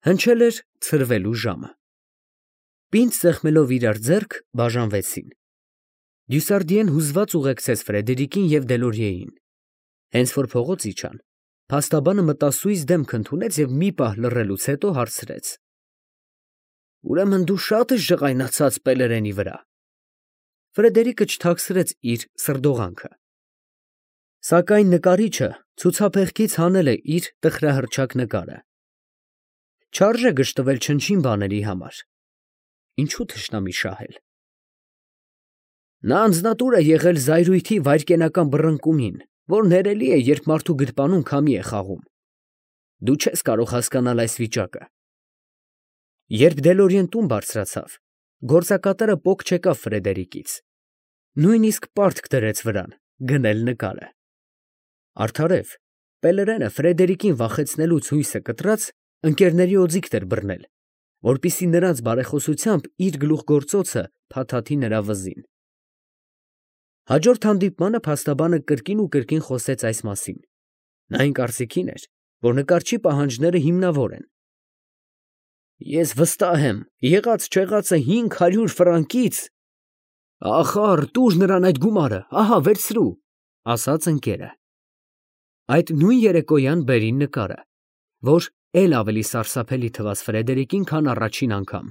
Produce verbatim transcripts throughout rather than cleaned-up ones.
Հնչել էր ցրվելու ժամը։ Պինդ սեղմելով իրար ձեռք, բաժանվեցին։ Դյուսարդիեն հուզված ուղեկցեց Ֆրեդերիկին և Դելորիեին։ Հենց որ փողոց իջան, փաստաբանը մտասույզ դեմք ընդունեց և մի պահ լռելուց հետո հարցրեց. Ուրեմն դու շատ ես ջղայնացած Պելերենի վրա։ Ֆրեդերիկը չթաքցրեց իր սրդողանքը։ Սակայն նկարիչը ցուցափեղկից հանել է իր տխրահռչակ նկարը։ Չարժե գժտվել չնչին բաների համար, ինչու թշնամի շահել։ Նա անձնատուր է եղել զայրույթի վայրկենական բռնկումին, որ ներելի է, երբ մարդու գրպանում քամի է խաղում։ Դու չես կարող հասկանալ այս վիճակը։ Երբ Դելորիեն տուն բարձրացավ, գործակատարը պոկ չեկավ Ֆրեդերիկից, նույնիսկ պարտք դրեց վրան գնել նկարը։ Արդարև, Պելերենը Ֆրեդերիկին վախեցնելուց հույսը կտրած, ընկերների օձիքն էր բռնել, որպեսզի նրանց բարեխոսությամբ իր գլուխգործոցը փաթաթի նրա վզին։ Հաջորդ հանդիպմանը փաստաբանը կրկին ու կրկին խոսեց այս մասին։ Նա այն կարծիքին էր, որ նկարչի պահանջները հիմնավոր են։ Ես վստահ եմ, եղած֊չեղածը հինգ հարյուր ֆրանկից… Ախար, տուր նրան այդ գումարը, ահա վերցրու, ասաց ընկերը։ Այդ նույն երեկոյան բերին նկարը, որ էլ ավելի սարսափելի թվաց Ֆրեդերիկին, քան առաջին անգամ։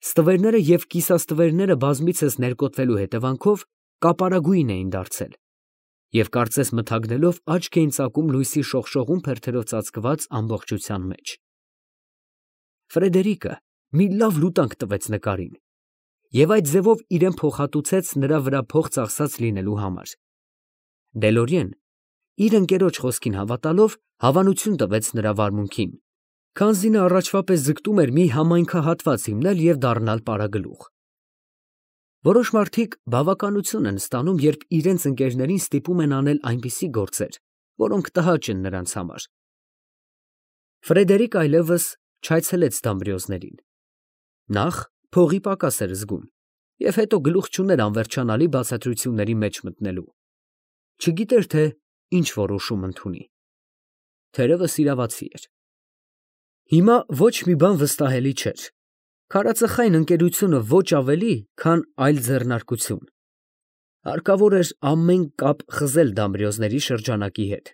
Ստվերները և կիսաստվերները բազմիցս ներկոտվելու հետևանքով կապարագույն էին դարձել և կարծես մթագնելով աչք էին ծակում լույսի շողշողուն փերթերով ծածկված ամբողջության մեջ։ Ֆրեդերիկը մի լավ լուտանք տվեց նկարին և այդ ձևով իրան փոխհատուցեց նրա վրա փող ծախսած լինելու համար։ Դելորիեն, իր ընկերոջ խոսքին հավատալով, հավանություն տվեց նրա վարմունքին, քանզի նա առաջվա պես ձգտում էր մի համայնքահատված հիմնել և դառնալ պարագլուխ։ Որոշ մարդիկ բավականություն են ստանում, երբ իրենց ընկերներին ստիպում են անել այնպիսի գործեր, որոնք տհաճ են նրանց համար։ Ֆրեդերիկը այլևս չայցելեց Դամբրիոզներին։ Նախ փողի պակաս էր զգում և հետո գլուխ չուներ անվերջանալի բացատրությունների մեջ մտնելու։ Չգիտեր, թե ինչ որոշում ընդունի։ Թերևս իրավացի էր։ Հիմա ոչ մի բան վստահելի չէր։ Քարածխայն ընկերությունը ոչ ավելի, քան այլ ձեռնարկություն։ Հարկավոր էր ամեն կապ խզել Դամբրիոզների շրջանակի հետ։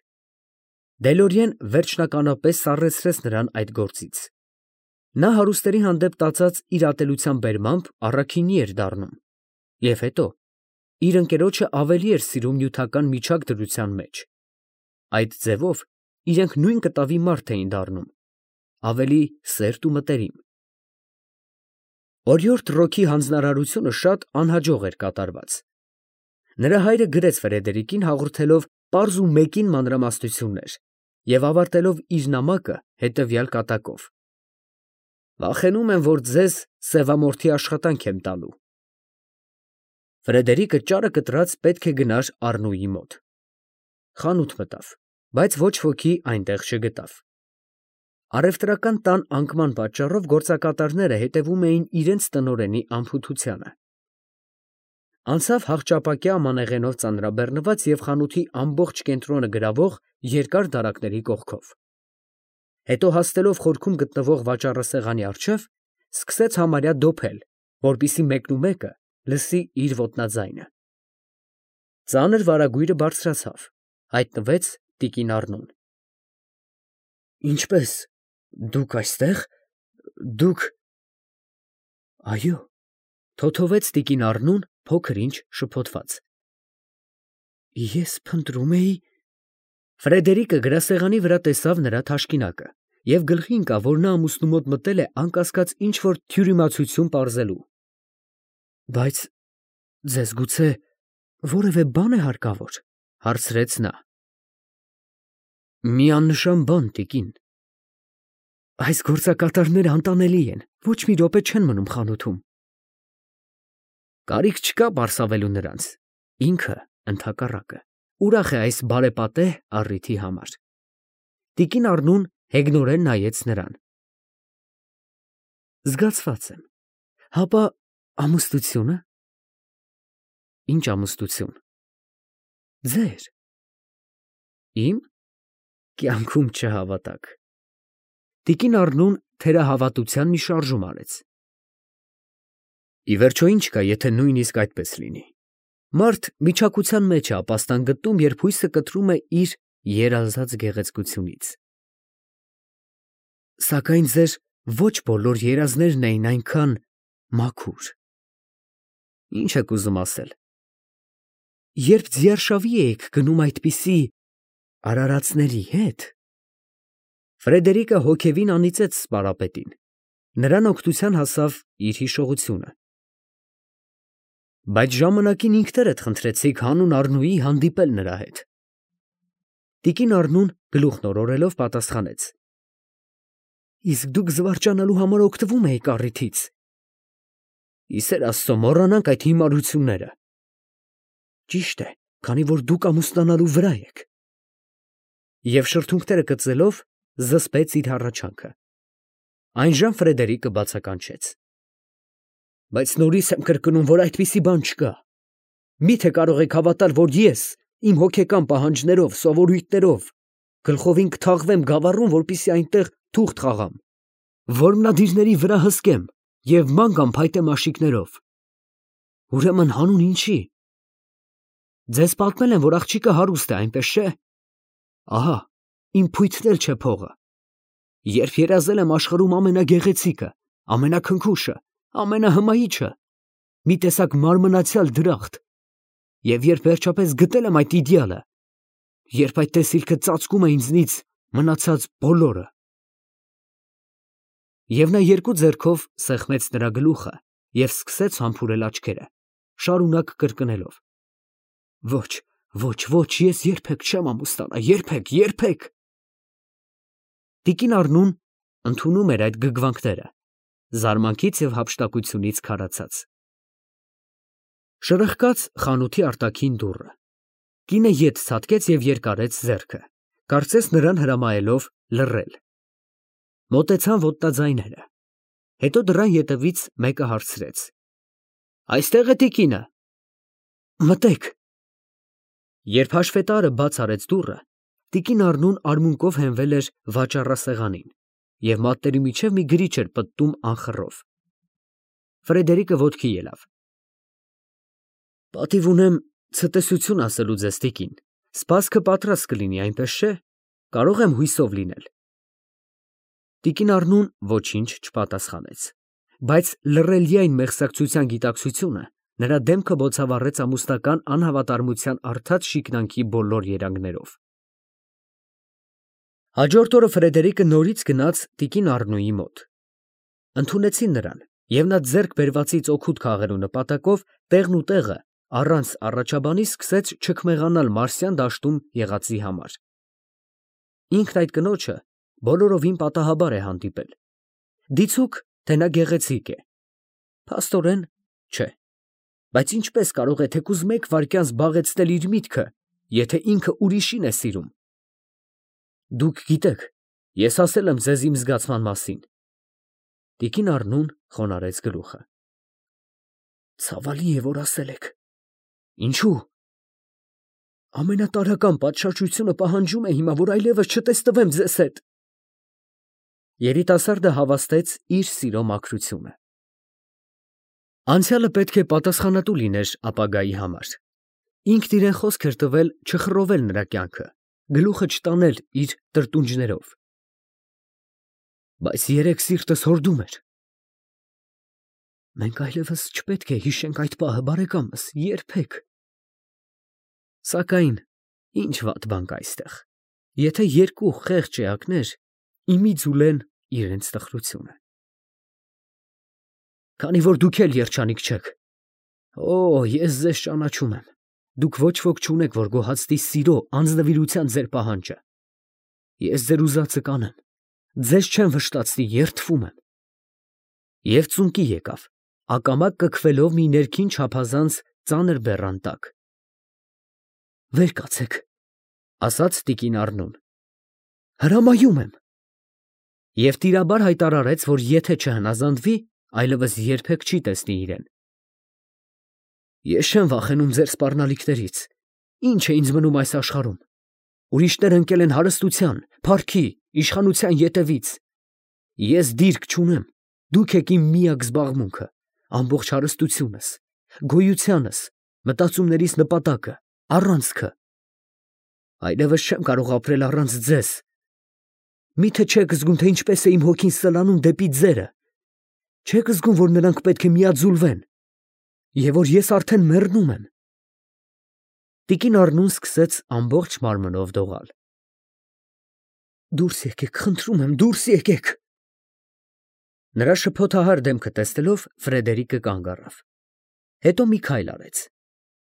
Դելորիեն վերջնականապես սառեցրեց նրան այդ գործից։ Նա հարուստների հանդեպ տածած իր ատելության բերմամբ առաքինի էր դառնում, և հետո իր ընկերոջը ավելի էր սիրում նյութական միջակ դրության մեջ։ Այդ ձևով իրենք նույն կտավի մարդ էին դառնում, ավելի սերտ ու մտերիմ։ Օրիորդ Ռոքի հանձնարարությունը շատ անհաջող էր կատարված։ Նրա հայրը գրեց Ֆրեդերիկին, հաղորդելով պարզ ու մեկին մանրամասնություններ և ավարտելով իր նամակը հետևյալ կատակով. Վախենում եմ, որ ձեզ սևամորթի աշխատանք եմ տալու։ Ֆրեդերիկը ճարը կտրած պետք է գնար Առնուի մոտ։ Խանութ մտավ, բայց ոչ ոքի այնտեղ չգտավ։ Առևտրական տան անկման պատճառով գործակատարները հետևում էին իրենց տնօրենի անփութությանը։ Անցավ հախճապակյա ամանեղենով ծանրաբեռնված և խանութի ամբողջ կենտրոնը գրավող երկար դարակների կողքով։ Հետո հասնելով խորքում գտնվող վաճառասեղանի առջև, սկսեց համարյա դոփել, որպեսզի մեկնումեկը լսի իր ոտնաձայնը։ Ծանր վարագույրը բարձրացավ, հայտնվեց տիկին Առնուն։ Ինչպե՞ս, դուք այստեղ, դուք… Այո, թոթովեց տիկին Առնուն փոքր ինչ շփոթված։ Ես փնտրում էի… Ֆրեդերիկը գրասեղանի վրա տեսավ նրա թաշկինակը և գլխի ընկավ, որ նա ամուսնու մոտ մտել է անկասկած ինչ֊որ թյուրիմացություն պարզելու։ Բայց ձեզ գուցե որևէ բան է հարկավոր, հարցրեց նա։ Մի աննշան բան, տիկին։ Այս գործակատարները անտանելի են, ոչ մի րոպե չեն մնում խանութում։ Կարիք չկա պարսավելու նրանց, ինքը, ընդհակառակը, ուրախ է այս բարեպատե առիթի համար։ Տիկին Առնուն հեգնորեն նայեց նրան։ Զգացված եմ, հապա ամուսնությո՞ւնը։ Ինչ ամուսնություն։ Ձեր։ Իմ։ Կյանքում չհավատաք։ Տիկին Առնուն թերահավատության մի շարժում արեց։ Ի վերջո ինչ կա, եթե նույնիսկ այդպես լինի։ Մարդ միջակության մեջ է ապաստան գտնում, երբ հույսը կտրում է իր երազած գեղեցկությունից։ Սակայն ձեր ոչ բոլոր երազներն էին այնքան մաքուր։ Ինչ եք ուզում ասել։ Երբ ձիարշավի էիք գնում այդպիսի արարածների հետ։ Ֆրեդերիկը հոգևին անիծեց սպարապետին։ Նրան օգնության հասավ իր հիշողությունը։ Բայց ժամանակին ինքներդ խնդրեցիք հանուն Առնուի հանդիպել նրա հետ։ Տիկին Առնուն գլուխն օրորելով պատասխանեց. Իսկ դուք զվարճանալու համար օգտվում էիք առիթից։ Իսեր Աստծո, մոռանանք այդ հիմարությունները։ Ճիշտ է, քանի որ դուք ամուսնանալու վրա եք։ Եվ շրթունքները կծելով զսպեց իր հառաչանքը։ Այնժամ Ֆրեդերիկը բացականչեց. Բայց նորից եմ կրկնում, որ այդպիսի բան չկա։ Միթե կարող եք հավատալ, որ ես իմ հոգեկան պահանջներով, սովորույթներով գլխովին կթաղվեմ գավառում, որպեսզի այնտեղ թուղթ խաղամ, որմնադիրների վրա հսկեմ և ման գամ փայտե մաշիկներով։ Ուրեմն հանուն ինչի։ Ձեզ պատմել եմ, որ աղջիկը հարուստ է, այնպես չէ։ Ահա, իմ փույթն էլ չէ փողը։ Երբ երազել եմ աշխարհում ամենագեղեցիկը, ամենաքնքուշը, ամենահմայիչը, մի տեսակ մարմնացյալ դրախտ, և երբ վերջապես գտել եմ այդ իդեալը, երբ այդ տեսիլքը ծածկում է ինձնից մնացած բոլորը։ Եվ նա երկու ձեռքով սեղմեց նրա գլուխը և սկսեց համբուրել աչքերը, շարունակ կրկնելով. Ոչ, ոչ, ոչ, ես երբեք չեմ ամուսնանա, երբեք, երբեք։ Տիկին Առնուն ընդունում էր այդ գգվանքները, զարմանքից և հափշտակությունից քարացած։ Շրխկաց խանութի արտաքին դուռը։ Կինը ետ ցատկեց և երկարեց ձեռքը, կարծես նրան հրամայելով լռել։ Մոտեցան ոտնաձայները։ Հետո դռան ետևից մեկը հարցրեց. Այստե՞ղ է տիկինը։ Մտեք։ Երբ հաշվետարը բաց արեց դուռը, տիկին Առնուն արմունկով հենվել էր վաճառասեղանին և մատների միջև մի գրիչ էր պտտում անխռով։ Ֆրեդերիկը ոտքի ելավ։ Պատիվ ունեմ ցտեսություն ասելու ձեզ, տիկին, սպասքը պատրաստ կլինի, այնպես չէ, կարող եմ հույսով լինել։ Տիկին Առնուն ոչինչ չպատասխանեց, բայց լռելիայն մեղսակցության գիտակցությունը նրա դեմքը բոցավառեց ամուսնական անհավատարմության արդած շիկնանքի բոլոր երանգներով։ Հաջորդ օրը Ֆրեդերիկը նորից գնաց տիկին Առնուի մոտ։ Ընդունեցին նրան, և նա ձեռք բերվածից օգուտ քաղելու նպատակով տեղն ու տեղը առանց առաջաբանի սկսեց չքմեղանալ մարսյան դաշտում եղածի համար։ Ինքն այդ կնոջը բոլորովին պատահաբար է հանդիպել։ Դիցուք, թե նա գեղեցիկ է։ Փաստորեն, չէ։ Բայց ինչպես կարող է թեկուզ մեկ վայրկյան զբաղեցնել իր միտքը, եթե ինքը ուրիշին է սիրում։ Դուք գիտեք, ես ասել եմ ձեզ իմ զգացման մասին։ Տիկին Առնուն խոնարհեց գլուխը։ Ցավալի է, որ ասել եք։ Ինչու։ Ամենատարրական պատշաճությունը պահանջում է հիմա, որ այլևս չտեսնվեմ ձեզ հետ։ Երիտասարդը հավաստեց իր սիրո մաքրությունը։ Անցյալը պետք է պատասխանատու լիներ ապագայի համար։ Ինքն իրեն խոսք էր տվել չխռովել նրա կյանքը, գլուխը չտանել իր տրտունջներով։ Բայց երեկ սիրտս հորդում էր։ Մենք այլևս չպետք է հիշենք այդ պահը, բարեկամս, երբեք։ Սակայն ինչ վատ բան կա այստեղ, եթե երկու խեղճ էակներ իմի ձուլեն իրենց տխրությունը։ Քանի որ դուք էլ երջանիկ չեք։ Օ, ես ձեզ ճանաչում եմ։ Դուք ոչ ոք չունեք, որ գոհացնի սիրո անձնվիրության ձեր պահանջը։ Ես ձեր ուզածը կանեմ։ Ձեզ չեմ վշտացնի, երդվում եմ։ Եվ ծունկի եկավ, ակամա կքվելով մի ներքին չափազանց ծանր բեռան տակ։ Վեր կացեք, ասաց տիկին Առնուն։ Հրամայում եմ։ Եվ տիրաբար հայտարարեց, որ եթե չհնազանդվի, այլևս երբեք չի տեսնի իրեն։ Ես չեմ վախենում ձեր սպառնալիքներից։ Ինչ է ինձ մնում այս աշխարհում։ Ուրիշներ ընկել են հարստության, փառքի, իշխանության ետևից։ Ես դիրք չունեմ, դուք եք իմ միակ զբաղմունքը, ամբողջ հարստությունս, գոյությանս, մտածումներիս նպատակը, առանցքը։ Այլևս չեմ կարող ապրել առանց ձեզ։ Միթե չեք զգում, թե ինչպես է իմ հոգին սլանում դեպի ձերը, չեք զգում, որ նրանք պետք է միաձուլվեն, և որ ես արդեն մեռնում եմ։ Տիկին Առնուն սկսեց ամբողջ մարմնով դողալ։ Դուրս եկեք, խնդրում եմ, դուրս եկեք։ Նրա շփոթահար դեմքը տեսնելով Ֆրեդերիկը կանգ առավ։ Հետո մի քայլ արեց,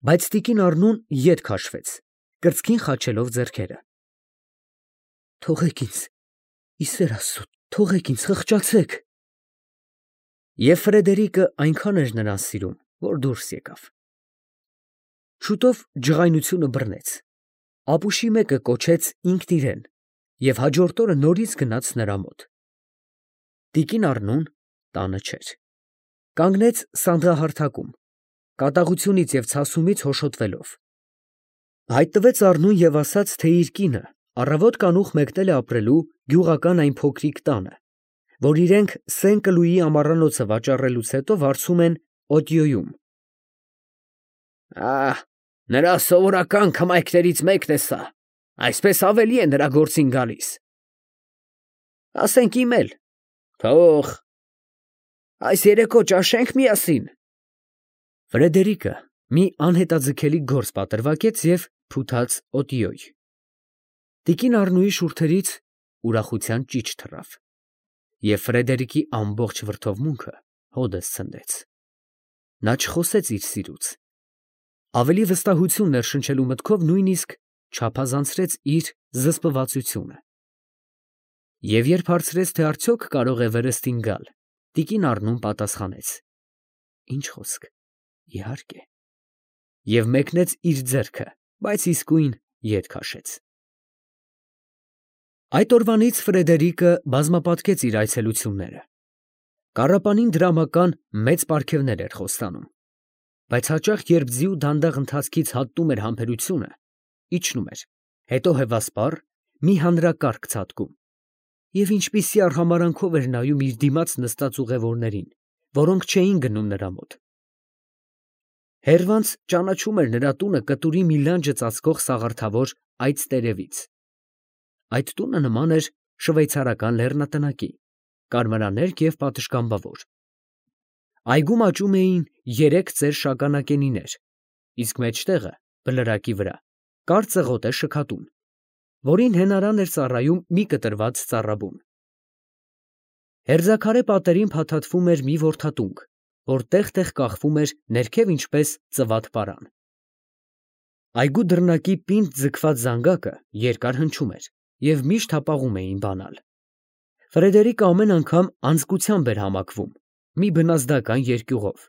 բայց տիկին Առնուն ետ քաշվեց, կրծքին խաչելով ձեռքերը։ Թողեք ինձ, ի սեր Աստծո, թողեք ինձ, խղճացեք։ Եվ Ֆրեդերիկը այնքան էր նրան սիրում, որ դուրս եկավ։ Շուտով ջղայնությունը բռնեց, ապուշի մեկը կոչեց ինքն իրեն և հաջորդ օրը նորից գնաց նրա մոտ։ Տիկին Առնուն տանը չէր, կանգնեց սանդղահարթակում, կատաղությունից և ցասումից հոշոտվելով։ Հայտնվեց Առնուն և ասաց, թե իր կինը առավոտ կանուխ մեկնել է ապրելու գյուղական այն փոքրիկ տանը, որ իրենք Սեն֊Կլուիի ամառանոցը վաճառելուց հետո վարձում են Օտյոյում։ Ահ, նրա սովորական քմայքներից մեկն է սա, այսպես ավելի է նրա գործին գալիս։ Ասենք իմ էլ, թող, այս երեկո ճաշենք միասին։ Ֆրեդերիկը մի անհետաձգելի գործ պատրվակեց և փութաց Օտյոյ։ Տիկին Առնուի շուրթերից ուրախության ճիչ թռավ, և Ֆրեդերիկի ամբողջ վրդովմունքը հօդս ցնդեց։ Նա չխոսեց իր սիրուց, ավելի վստահություն ներշնչելու մտքով նույնիսկ չափազանցրեց իր զսպվածությունը։ Եվ երբ հարցրեց, թե արդյոք կարող է վերստին գալ, տիկին Առնուն պատասխանեց. Ինչ խոսք, իհարկե, և մեկնեց իր ձեռքը, բայց իսկույն ետ քաշեց։ Այդ օրվանից Ֆրեդերիկը բազմապատկեց իր այցելությունները։ Կառապանին դրամական մեծ պարգևներ էր խոստանում, բայց հաճախ, երբ ձիու դանդաղ ընթացքից հատնում էր համբերությունը, իջնում էր, հետո հևասպառ մի հանրակարգ ցատկում, և ինչպիսի արհամարանքով էր նայում իր դիմաց նստած ուղևորներին, որոնք չէին գնում նրա մոտ։ Հեռվանց ճանաչում էր նրա տունը կտուրի մի լանջը ծածկող սաղարթավոր այծտերևից։ Այդ տունը նման էր շվեյցարական լեռնատնակի, կարմրաներկ և պատշգամբավոր։ Այգում աճում էին երեք ծեր շագանակենիներ, իսկ մեջտեղը, բլրակի վրա, կար ծղոտ է շքատուն, որին հենարան էր ծառայում մի կտրված ծառաբուն։ Հերձաքարե պատերին փաթաթվում էր մի որդատունք, որ տեղ֊տեղ կախվում էր ներքև ինչպես ծվատ պարան։ Այգու դռնակի պինդ ձգված զանգակը երկար հնչում էր և միշտ հապաղում էին բանալ։ Ֆրեդերիկը ամեն անգամ անձկությամբ էր համակվում, մի բնազդական երկյուղով։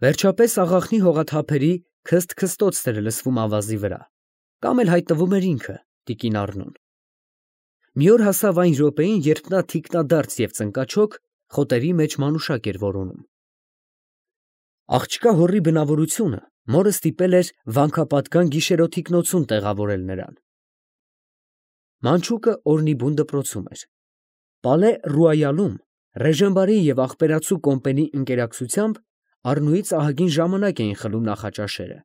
Վերջապես աղախնի հողաթափերի քսթ֊քստոցն էր լսվում ավազի վրա, կամ էլ հայտնվում էր ինքը, տիկին Առնուն։ Մի օր հասավ այն րոպեին, երբ նա թիկնադարձ և ծնկաչոք խոտերի մեջ մանուշակ էր որոնում։ Աղջկա հորի բնավորությունը մորը ստիպել էր վանքապատկան գիշերօթիկնոցում տեղավորել նրան։ Մանչուկը օրնիբուն դպրոցում էր։ Պալե Ռուայալում Ռեժենբարի և աղբերացու կոմպենի ընկերակցությամբ Առնուից ահագին ժամանակ էին խլում նախաճաշերը։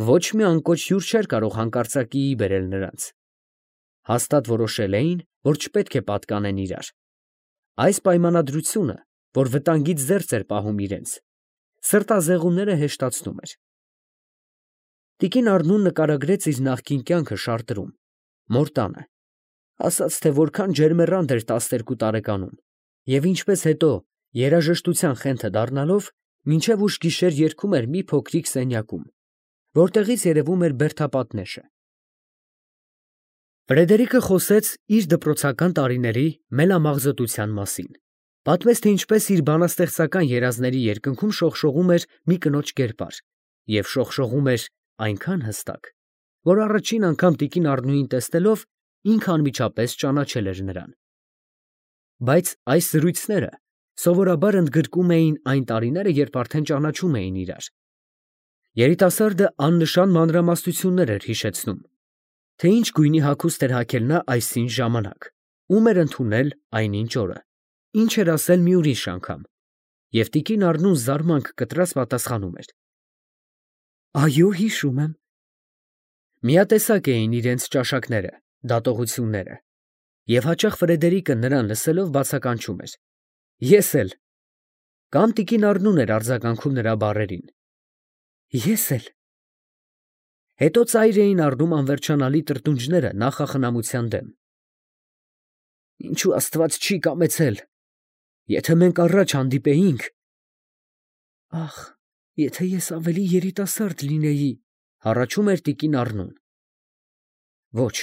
Ոչ մի անկոչ հյուր չէր կարող հանկարծակիի բերել նրանց։ Հաստատ որոշել էին, որ չպետք է պատկանեն իրար։ Այս պայմանադրությունը, որ վտանգից զերծ էր պահում իրենց, սրտազեղումները հեշտացնում էր։ Տիկին Առնուն նկարագրեց իր նախկին կյանքը Շարտրում, մոր տանը, ասաց, թե որքան ջերմեռանդ էր տասներկու տարեկանում, և ինչպես հետո, երաժշտության խենթը դառնալով, մինչև ուշ գիշեր երգում էր մի փոքրիկ սենյակում, որտեղից երևում էր բերդապատնեշը։ Ֆրեդերիկը խոսեց իր դպրոցական տարիների մելամաղձոտության մասին, պատմեց, թե ինչպես իր բանաստեղծական երազների երկնքում շողշողում էր մի կնոջ կերպար, և շողշողում էր այնքան հստակ, որ առաջին անգամ տիկին Առնուին տեսնելով ինքը անմիջապես ճանաչել էր նրան։ Բայց այս զրույցները սովորաբար ընդգրկում էին այն տարիները, երբ արդեն ճանաչում էին իրար։ Երիտասարդը աննշան մանրամասնություններ էր հիշեցնում, թե ինչ գույնի հագուստ էր հագել նա այսինչ ժամանակ, ում էր ընդունել այնինչ օրը, ինչ էր ասել մի ուրիշ անգամ, և տիկին Առնուն զարմանք կտրած պատասխանում էր. Այո, հիշում եմ։ Միատեսակ էին իրենց ճաշակները, դատողությունները, և հաճախ Ֆրեդերիկը նրան լսելով բացականչում էր. Ես էլ, կամ տիկին Առնուն էր արձագանքում նրա բառերին. Ես էլ։ Հետո ծայր էին առնում անվերջանալի տրտունջները նախախնամության դեմ. Ինչու Աստված չի կամեցել, եթե մենք առաջ հանդիպեինք… Ախ, եթե ես ավելի երիտասարդ լինեի, հառաչում էր տիկին Առնուն։ Ոչ,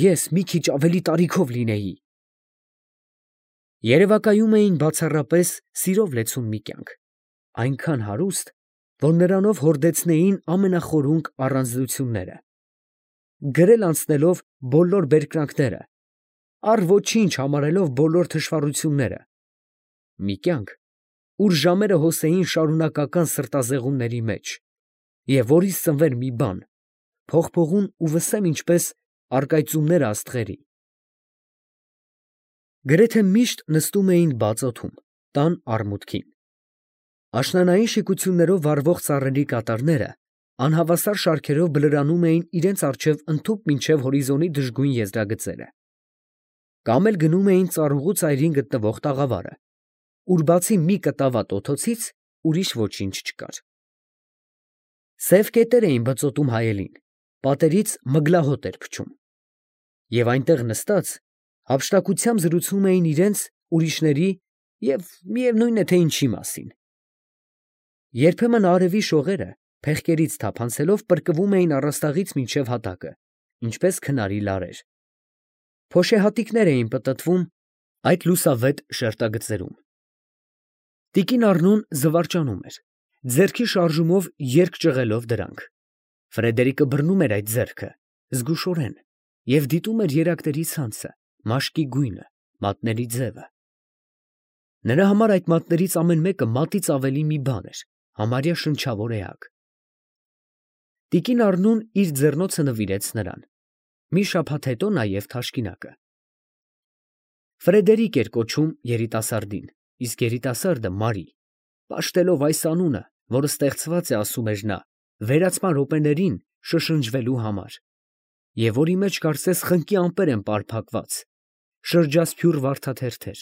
ես մի քիչ ավելի տարիքով լինեի… Երևակայում էին բացառապես սիրով լեցուն մի կյանք, այնքան հարուստ, որ նրանով հորդեցնեին ամենախորունկ առանձնությունները, գրել անցնելով բոլոր բերկրանքները, առ ոչինչ համարելով բոլոր թշվառությունները, մի կյանք, ուր ժամերը հոսեին շարունակական սրտազեղումների մեջ, և որից ծնվեր մի բան, փողփողուն ու վսեմ ինչպես առկայծումները աստղերի։ Գրեթե միշտ նստում էին բաց օդում, տան արմուտքին։ Աշնանային շիկություններով վառվող ծառերի կատարները անհավասար շարքերով բլրանում էին իրենց առջև ընդհուպ մինչև հորիզոնի դժգույն եզրագծերը, կամ էլ գնում էին ծառուղու ծայրին գտնվող տաղավարը, ուր բացի մի կտավատ օդոցից ուրիշ ոչինչ չկար։ Սև կետեր էին բծոտում հայելին, պատերից մգլահոտ էր փչում, և այնտեղ նստած հափշտակությամբ զրուցում էին իրենց, ուրիշների և միևնույն է, թե ինչի մասին։ Երբեմն արևի շողերը, փեղկերից թափանցելով, պրկվում էին առաստաղից մինչև հատակը, ինչպես քնարի լարեր։ Փոշեհատիկներ էին պտտվում այդ լուսավետ շերտագծերում։ Տիկին Առնուն զվարճանում էր, ձեռքի շարժումով երկ ճղելով դրանք։ Ֆրեդերիկը բռնում էր այդ ձեռքը, զգուշորեն, և դիտում էր երակների ցանցը, մաշկի գույնը, մատների ձևը։ Նրա համար այդ մատներից ամեն մեկը մատից ավելի մի բան էր, համարյա շնչավոր էակ։ Տիկին Առնուն իր ձեռնոցը նվիրեց նրան, մի շաբաթ հետո նաև թաշկինակը։ Ֆրեդերիկ էր կոչում երիտասարդին, իսկ երիտասարդը Մարի, պաշտելով այս անունը, որը ստեղծված է, ասում էր նա, վերացման րոպեներին շշնջվելու համար, և որի մեջ կարծես խնկի ամպեր են պարփակված, շրջասփյուռ վարդաթերթեր։